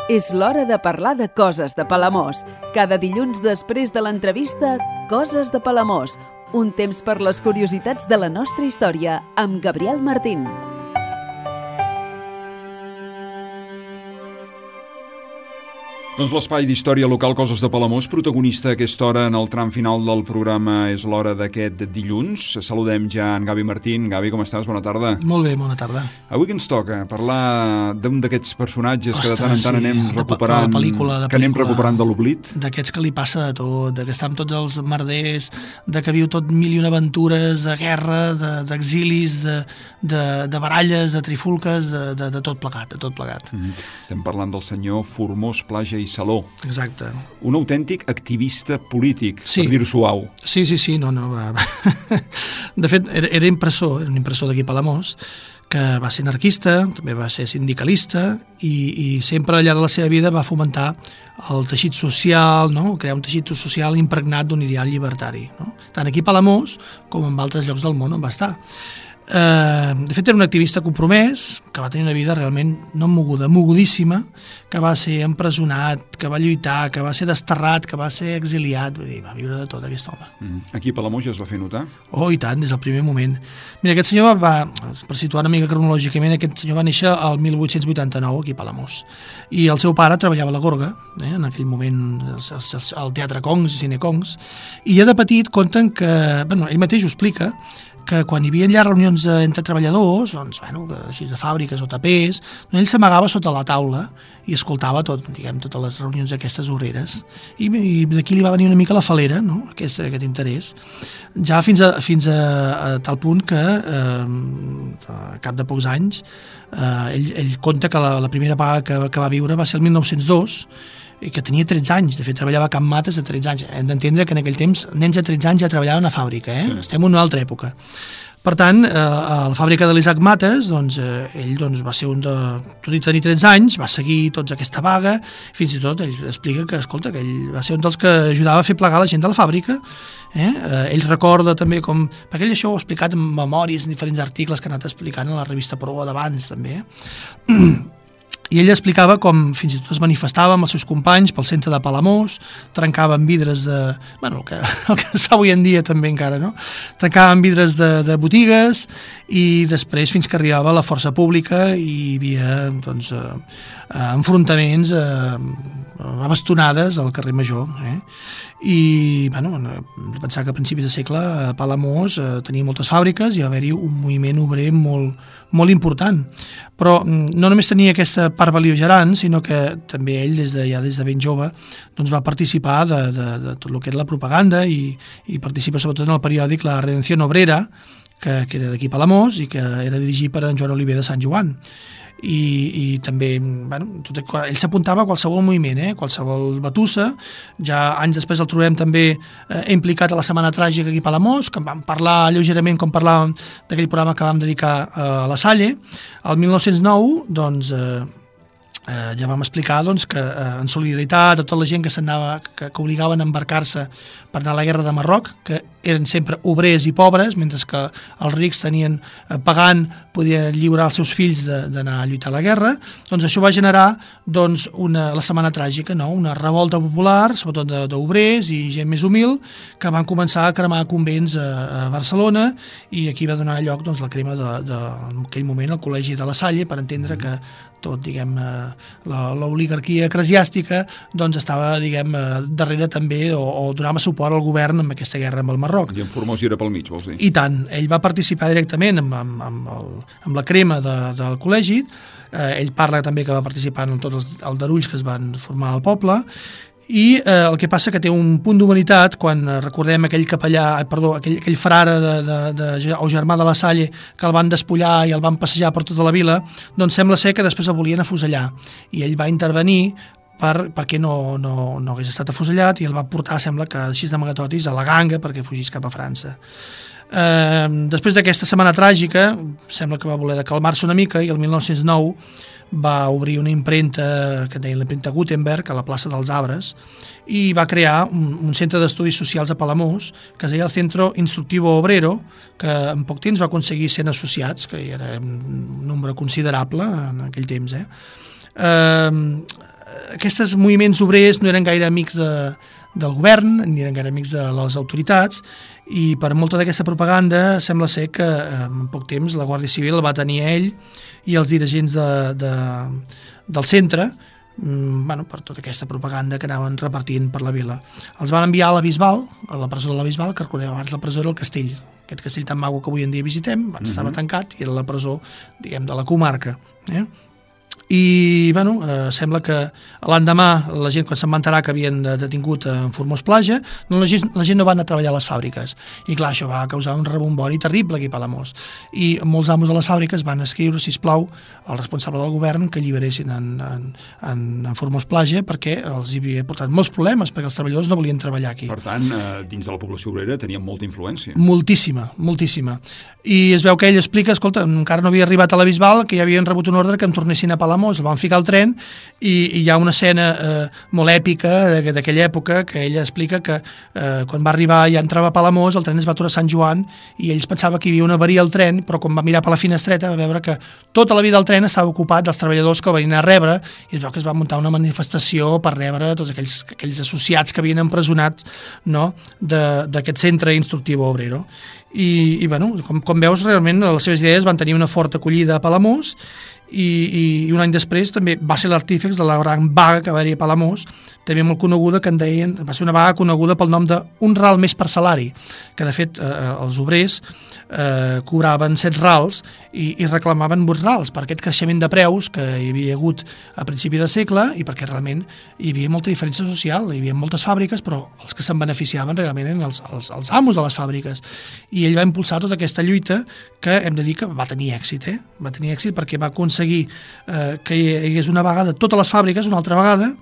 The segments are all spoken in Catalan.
És l'hora de parlar de coses de Palamós. Cada dilluns després de l'entrevista, Coses de Palamós. Un temps per les curiositats de la nostra història, amb Gabriel Martín. Doncs l'espai d'història local Coses de Palamós, protagonista a aquesta hora en el tram final del programa. És l'hora d'aquest dilluns. Saludem ja en Gavi Martín. Gavi, com estàs? Bona tarda. Molt bé, bona tarda. Avui que ens toca parlar d'un d'aquests personatges que de tant en tant anem recuperant, que anem recuperant de l'oblit. D'aquests que li passa de tot, de que està amb tots els merders, de que viu tot mil i una aventures, de guerra, d'exilis, de baralles, de trifulques, de tot plegat, de tot plegat. Estem parlant del senyor Formós Plaja i Saló. Exacte. Un autèntic activista polític, sí. Per dir-ho suau. Sí, no. De fet, era impressor, era un impressor d'aquí a Palamós, que va ser anarquista, també va ser sindicalista i sempre al llarg de la seva vida va fomentar el teixit social, no? Crear un teixit social impregnat d'un ideal llibertari, no? Tant aquí a Palamós com en altres llocs del món on va estar. De fet era un activista compromès que va tenir una vida realment no moguda, mogudíssima, que va ser empresonat, que va lluitar, que va ser desterrat, que va ser exiliat, vull dir, va viure de tot aquest home. Aquí a Palamós ja es va fer notar? Oh, i tant, des del primer moment. Mira, aquest senyor per situar una mica cronològicament, aquest senyor va néixer el 1889 aquí a Palamós i el seu pare treballava a la Gorga, en aquell moment al Teatre Congs i Cine Congs, i ja de petit conten que, ell mateix ho explica, que quan hi havia allà reunions entre treballadors, doncs, així de fàbriques o tapers, ell s'amagava sota la taula i escoltava totes les reunions aquestes obreres. I d'aquí li va venir una mica la falera, no? aquest interès. Ja fins a tal punt que, a cap de pocs anys, ell conta que la primera paga que va viure va ser el 1902, i que tenia 13 anys, de fet treballava a Can Mates de 13 anys. Hem d'entendre que en aquell temps nens de 13 anys ja treballaven a fàbrica, Sí. Estem en una altra època. Per tant, a la fàbrica de l'Isaac Mates, ell va ser tot i tenir 13 anys, va seguir tots aquesta vaga, fins i tot ell explica que, escolta, que ell va ser un dels que ajudava a fer plegar la gent de la fàbrica. Ell recorda també com... Perquè ell això ho ha explicat en memòries, en diferents articles que ha anat explicant a la revista Proa d'abans, també. I ell explicava com fins i tot es manifestava amb els seus companys pel centre de Palamós, trencaven vidres el que es fa avui en dia també encara, no? Trencaven vidres de botigues i després fins que arribava la força pública i hi havia enfrontaments, bastonades al carrer Major. I pensar que a principis de segle a Palamós tenia moltes fàbriques i va haver-hi un moviment obrer molt important. Però no només tenia aquesta part bel·ligerant, sinó que també ell des de ben jove va participar de tot el que era la propaganda i participa sobretot en el periòdic La Redención Obrera, que era d'aquí a Palamós i que era dirigit per en Joan Oliver de Sant Joan. I també ell s'apuntava a qualsevol moviment, qualsevol batussa. Ja anys després el trobem també implicat a la Setmana Tràgica aquí a Palamós, que en vam parlar lleugerament com parlàvem d'aquell programa que vam dedicar a la Salle. El 1909 ja vam explicar que en solidaritat a tota la gent que obligaven a embarcar-se per anar a la guerra de Marroc, que eren sempre obrers i pobres, mentre que els rics tenien pagant, podien lliurar els seus fills d'anar a lluitar a la guerra, això va generar la Setmana Tràgica, una revolta popular, sobretot d'obrers i gent més humil, que van començar a cremar convents a Barcelona i aquí va donar lloc la crema en aquell moment al Col·legi de la Salle, per entendre que tot, l'oligarquia eclesiàstica estava, darrere també o donava suport al govern en aquesta guerra amb el Marroc. I en Formós hi era pel mig, vols dir? I tant, ell va participar directament amb la crema del col·legi, ell parla també que va participar en tots els aldarulls que es van formar al poble, i el que passa que té un punt d'humanitat quan recordem aquell frare o germà de la Salle que el van despullar i el van passejar per tota la vila, sembla ser que després el volien afusellar i ell va intervenir perquè no hagués estat afusellat i el va portar, sembla que així d'amagatotis, a la ganga perquè fugís cap a França. Després d'aquesta Setmana Tràgica sembla que va voler calmar-se una mica i el 1909 va obrir una impremta que deia l'impremta Gutenberg a la plaça dels Arbres i va crear un centre d'estudis socials a Palamós que es deia el Centro Instructivo Obrero, que en poc temps va aconseguir 100 associats, que era un nombre considerable en aquell temps. aquests moviments obrers no eren gaire amics del govern, ni eren gaire amics de les autoritats, i per molta d'aquesta propaganda sembla ser que en poc temps la Guàrdia Civil va tenir a ell i els dirigents del centre, per tota aquesta propaganda que anaven repartint per la vila. Els van enviar a la Bisbal, a la presó de la Bisbal, que recordem abans la presó era el castell, aquest castell tan maco que avui en dia visitem, abans estava tancat i era la presó, diguem, de la comarca. I sembla que l'endemà la gent, quan se'n va enterar que havien detingut en Formós Plaja, la gent no va anar a treballar a les fàbriques, i clar, això va causar un rebombori terrible aquí a Palamós, i molts amos de les fàbriques van escriure, sisplau, al responsable del govern que alliberessin en Formós Plaja, perquè els hi havia portat molts problemes, perquè els treballadors no volien treballar aquí. Per tant, dins de la població obrera tenien molta influència. Moltíssima, moltíssima. I es veu que ell explica, escolta, encara no havia arribat a la Bisbal, que ja havien rebut un ordre que em tornessin a Palamós, el van ficar al tren, i hi ha una escena molt èpica d'aquella època que ella explica que quan va arribar ja entrava a Palamós, el tren es va aturar a Sant Joan i ells pensava que hi havia una avaria al tren, però quan va mirar per la finestreta va veure que tota la vida del tren estava ocupat dels treballadors que el venien a rebre, i es veu que es va muntar una manifestació per rebre tots aquells associats que havien empresonat, no?, d'aquest centre instructiu obrero. I com veus, realment les seves idees van tenir una forta acollida a Palamós, i un any després també va ser l'artífex de la gran vaga que va haver a Palamós, també molt coneguda, que en deien, va ser una vaga coneguda pel nom d'un ral més per salari, que de fet els obrers cobraven 7 rals i reclamaven 8 rals per aquest creixement de preus que hi havia hagut a principi de segle, i perquè realment hi havia molta diferència social, hi havia moltes fàbriques, però els que se'n beneficiaven realment eren els amos de les fàbriques, i ell va impulsar tota aquesta lluita que hem de dir que va tenir èxit, va tenir èxit perquè va aconseguir que hi hagués una vaga de totes les fàbriques una altra vegada,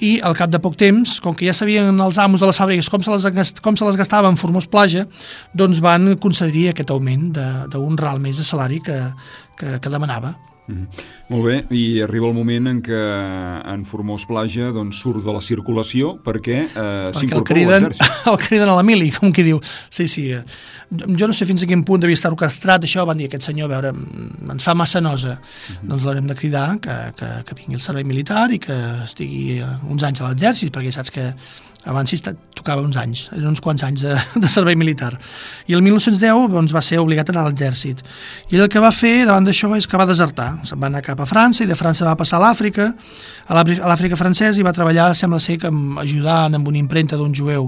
i al cap de poc temps, com que ja sabien els amos de les fàbriques com se les gastaven en Formós Plaja, doncs van concedir aquest augment d'un ral més de salari que demanava. Molt bé, i arriba el moment en què en Formós Plaja surt de la circulació perquè s'incorpora a l'exèrcit. El criden a la mili, com qui diu. Sí. Jo no sé fins a quin punt devia estar orquestrat això, van dir aquest senyor, a veure, ens fa massa nosa. Doncs l'haurem de cridar que vingui al servei militar i que estigui uns anys a l'exèrcit, perquè saps que abans sí tocava uns anys, eren uns quants anys de servei militar. I el 1910 va ser obligat a anar a l'exèrcit. I ell el que va fer davant d'això és que va desertar. Se'n va anar cap a França, i de França va passar a l'Àfrica, a l'Àfrica francesa, i va treballar, sembla ser que ajudant amb una impremta d'un jueu.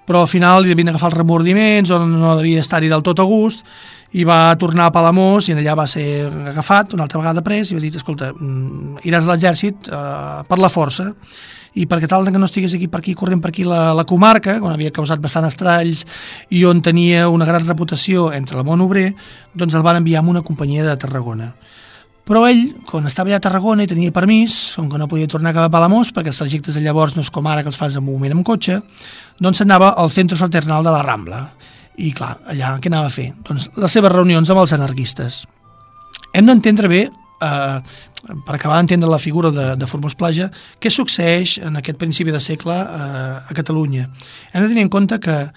Però al final li devien agafar els remordiments, o no devia estar-hi del tot a gust, i va tornar a Palamós, i allà va ser agafat una altra vegada pres, i va dir, escolta, iràs a l'exèrcit per la força, i perquè tal que no estigués corrent per aquí la comarca, on havia causat bastant estralls i on tenia una gran reputació entre el món obrer, doncs el van enviar a una companyia de Tarragona. Però ell, quan estava allà a Tarragona i tenia permís, com que no podia tornar cap a Palamós, perquè els trajectes de llavors no és com ara que els fas en un moment amb cotxe, doncs s'anava al Centre Fraternal de la Rambla. I clar, allà què anava a fer? Doncs les seves reunions amb els anarquistes. Hem d'entendre bé, per acabar d'entendre la figura de Formós Plaja, què succeeix en aquest principi de segle a Catalunya. Hem de tenir en compte que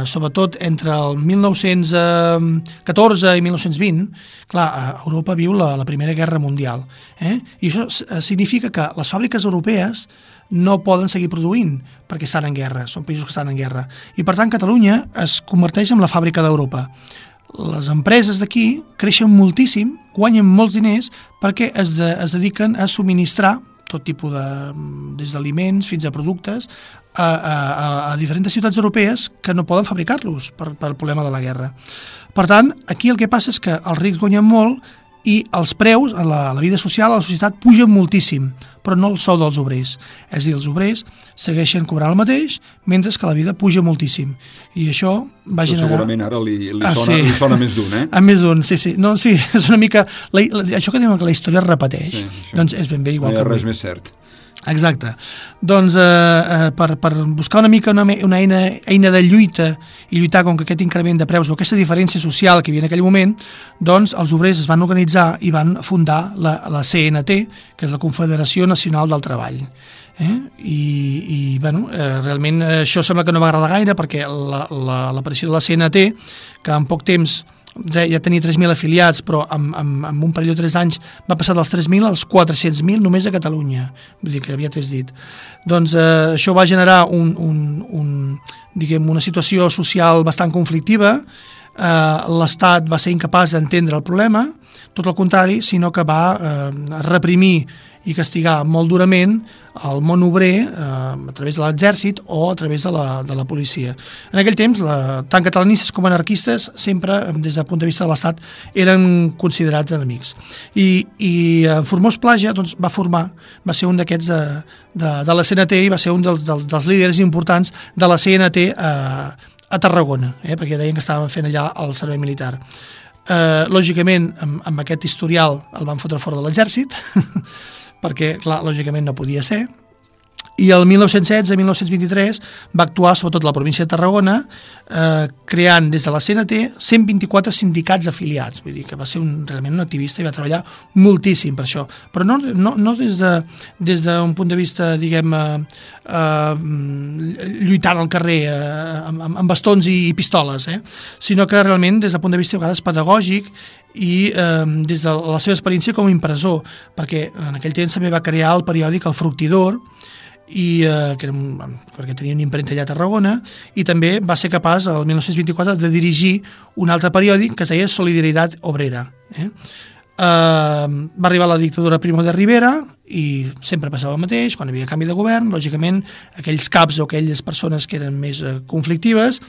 sobretot entre el 1914 i 1920, clar, Europa viu la Primera Guerra Mundial, i això significa que les fàbriques europees no poden seguir produint perquè estan en guerra, són països que estan en guerra, i per tant Catalunya es converteix en la fàbrica d'Europa. Les empreses d'aquí creixen moltíssim, guanyen molts diners perquè es dediquen a subministrar tot tipus des d'aliments fins a productes a diferents ciutats europees que no poden fabricar-los per problema de la guerra. Per tant, aquí el que passa és que els rics guanyen molt i els preus, la vida social, a la societat, pugen moltíssim, però no el sou dels obrers. És a dir, els obrers segueixen cobrant el mateix, mentre que la vida puja moltíssim. I això va generar... Segurament ara li sona més d'un, A més d'un, sí. No, sí, és una mica... Això que diuen que la història es repeteix, doncs és ben bé igual que avui. No hi ha res més cert. Exacte. Doncs per buscar una mica una eina de lluita i lluitar contra aquest increment de preus o aquesta diferència social que hi havia en aquell moment, doncs els obrers es van organitzar i van fundar la CNT, que és la Confederació Nacional del Treball. Realment això sembla que no va agradar gaire perquè l'aparició de la CNT, que en poc temps ja tenia 3.000 afiliats, però en un període de 3 anys va passar dels 3.000 als 400.000 només a Catalunya, vull dir que aviat és dit. Doncs això va generar una situació social bastant conflictiva. L'Estat va ser incapaç d'entendre el problema, tot el contrari, sinó que va reprimir i castigar molt durament el món obrer a través de l'exèrcit o a través de la policia. En aquell temps, tant catalanistes com anarquistes, sempre, des del punt de vista de l'Estat, eren considerats enemics. I Formós Plaja doncs, va ser un d'aquests de la CNT i va ser un dels líders importants de la CNT a Tarragona, perquè deien que estaven fent allà el servei militar. Lògicament, amb aquest historial el van fotre fora de l'exèrcit, perquè, clar, lògicament no podia ser, i el 1916-1923 va actuar sobretot a la província de Tarragona, creant des de la CNT 124 sindicats afiliats, vull dir que va ser realment un activista i va treballar moltíssim per això, però no des d'un punt de vista, diguem, lluitant al carrer amb bastons i pistoles, sinó que realment des del punt de vista a vegades pedagògic i des de la seva experiència com a impressor, perquè en aquell temps també va crear el periòdic El Fructidor, perquè tenia una impremta allà a Tarragona, i també va ser capaç el 1924 de dirigir un altre periòdic que es deia Solidaritat Obrera. Va arribar la dictadura Primo de Rivera i sempre passava el mateix, quan hi havia canvi de govern, lògicament aquells caps o aquelles persones que eren més conflictives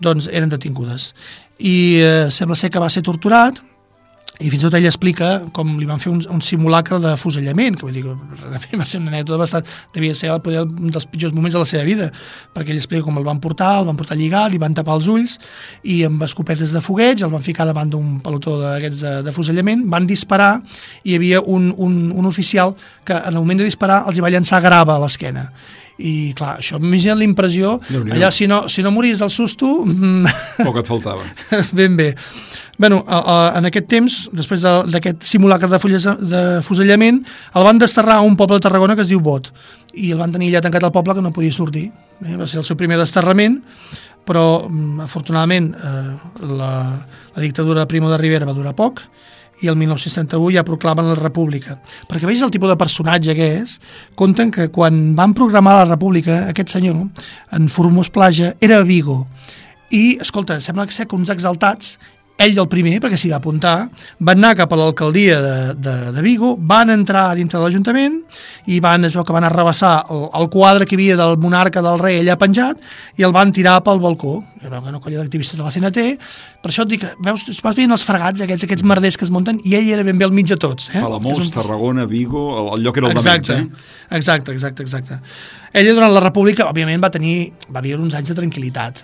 doncs eren detingudes. I sembla ser que va ser torturat, i fins i tot ell explica com li van fer un simulacre de fusellament, que vull dir que va ser una anècdota bastant, devia ser un dels pitjors moments de la seva vida, perquè ell explica com el van portar lligat, li van tapar els ulls i amb escopetes de fogueig el van ficar davant d'un pelotó d'aquests de fusellament, van disparar i hi havia un oficial que en el moment de disparar els hi va llançar grava a l'esquena. I clar, això m'imagina la impressió, allà si no mories del susto... Poc et faltava. Ben bé. Bueno, en aquest temps, després d'aquest simulacre de fusellament, el van desterrar a un poble de Tarragona que es diu Bot, i el van tenir allà tancat al poble que no podia sortir. Va ser el seu primer desterrament, però afortunadament la dictadura de Primo de Rivera va durar poc, i el 1971 ja proclamen la República. Perquè veus el tipus de personatge que és, compten que quan van programar la República, aquest senyor, en Formós Plaja, era a Vigo. I, escolta, sembla que uns exaltats, ell el primer, perquè s'hi va apuntar, van anar cap a l'alcaldia de Vigo, van entrar dintre de l'Ajuntament i es veu que van arrabassar el quadre que hi havia del monarca del rei allà penjat i el van tirar pel balcó. Hi va una colla d'activistes de la CNT, per això et dic, veus, vas veient els fregats, aquests merders que es munten, i ell era ben bé al mig de tots. Palamós, Tarragona, Vigo, el lloc era el de menys. Exacte. Ella durant la República, òbviament, va viure uns anys de tranquil·litat.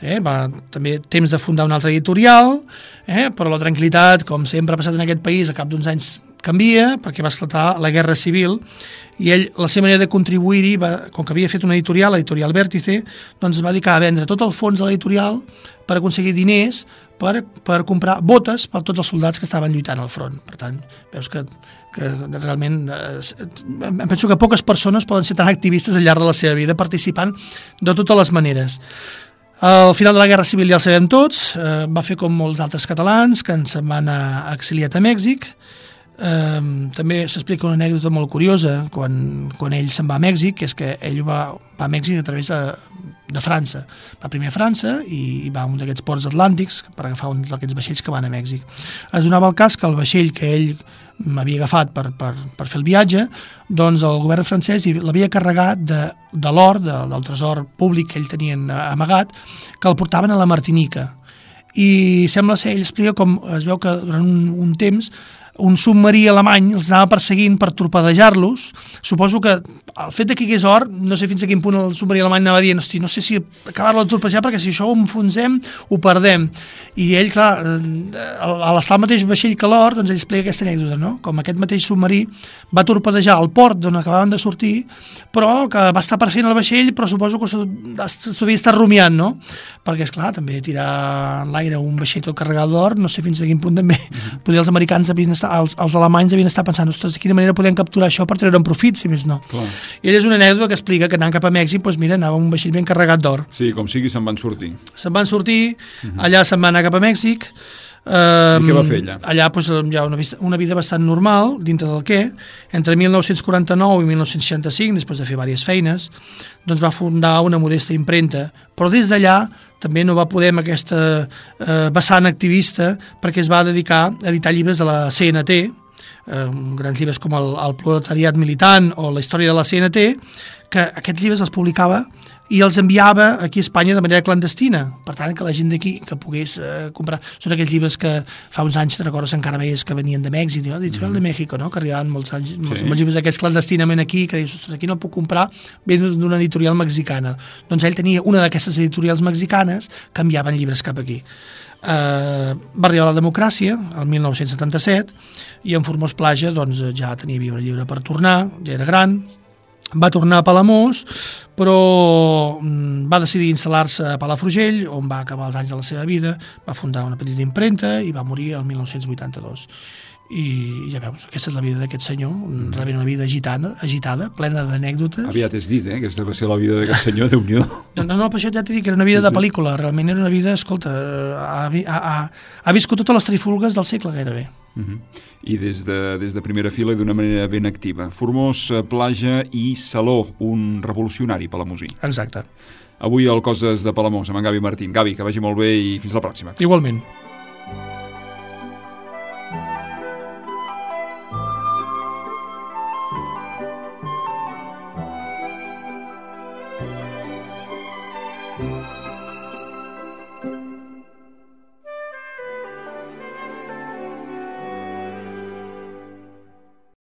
També temps de fundar una altra editorial, però la tranquil·litat, com sempre ha passat en aquest país, a cap d'uns anys canvia, perquè va esclatar la Guerra Civil, i ell, la seva manera de contribuir-hi, com que havia fet una editorial, l'editorial Vèrtice, doncs va dedicar a vendre tot el fons de l'editorial per aconseguir diners per comprar botes per tots els soldats que estaven lluitant al front. Per tant, veus que realment em penso que poques persones poden ser tan activistes al llarg de la seva vida, participant de totes les maneres. Al final de la Guerra Civil ja el sabem tots, va fer com molts altres catalans que se'n van exiliat a Mèxic. També s'explica una anècdota molt curiosa quan ell se'n va a Mèxic, que és que ell va a Mèxic a través de França. Va primer a França i va a un d'aquests ports atlàntics per agafar un d'aquests vaixells que van a Mèxic. Es donava el cas que el vaixell que ell havia agafat per fer el viatge, doncs el govern francès l'havia carregat de l'or, del tresor públic que ell tenia amagat, que el portaven a la Martinica. I sembla ser, ell explica com es veu que durant un temps un submarí alemany els anava perseguint per torpedejar-los. Suposo que el fet que hi hagués or, no sé fins a quin punt el submarí alemany anava dient, hosti, no sé si acabar-lo de torpedejar perquè si això ho enfonsem, ho perdem. I ell, clar, a l'estar al mateix vaixell que l'or, doncs ell explica aquesta anècdota, no? Com aquest mateix submarí va torpedejar el port d'on acabaven de sortir, però que va estar perseguint el vaixell, però suposo que s'havia estat rumiant, no? Perquè, esclar, també tirar en l'aire un vaixell tot carregat d'or, no sé fins a quin punt també poder els americans els alemanys devien estar pensant, ostres, de quina manera podem capturar això per treure un profit, si més no. Clar. I ell és una anècdota que explica que anant cap a Mèxic, doncs mira, anava un vaixell ben carregat d'or. Sí, com sigui, se'n van sortir. Allà se'n van anar cap a Mèxic, I què va fer allà? Allà doncs, hi ha una vida bastant normal, dintre del què. Entre 1949 i 1965, després de fer diverses feines, doncs va fundar una modesta impremta, però des d'allà també no va poder amb aquesta vessant activista, perquè es va dedicar a editar llibres de la CNT, grans llibres com el Proletariat Militant o la història de la CNT, que aquests llibres els publicava i els enviava aquí a Espanya de manera clandestina, per tant que la gent d'aquí que pogués comprar. Són aquells llibres que fa uns anys, te recordes, encara veies que venien de Mèxic, Editorial de México, no? Que arribaven molts llibres d'aquests clandestinament aquí, que dius, ostres, aquí no puc comprar, ve d'una editorial mexicana. Doncs ell tenia una d'aquestes editorials mexicanes que enviaven llibres cap aquí. Va arribar la democràcia el 1977 i en Formós Plaja doncs, ja tenia lliure per tornar, ja era gran, va tornar a Palamós, però va decidir instal·lar-se a Palafrugell, on va acabar els anys de la seva vida, va fundar una petita impremta i va morir el 1982. I ja veus, aquesta és la vida d'aquest senyor, realment una vida agitada, plena d'anècdotes. Aviat és dit, aquesta va ser la vida d'aquest senyor, Déu-n'hi-do. No, per això ja t'he dit que era una vida de pel·lícula, realment era una vida, escolta, ha viscut totes les trifulgues del segle gairebé. I des de primera fila i d'una manera ben activa. Formós Plaja i Saló, un revolucionari palamosí. Exacte. Avui al Coses de Palamós, amb en Gavi Martín. Gavi, que vagi molt bé i fins la pròxima. Igualment.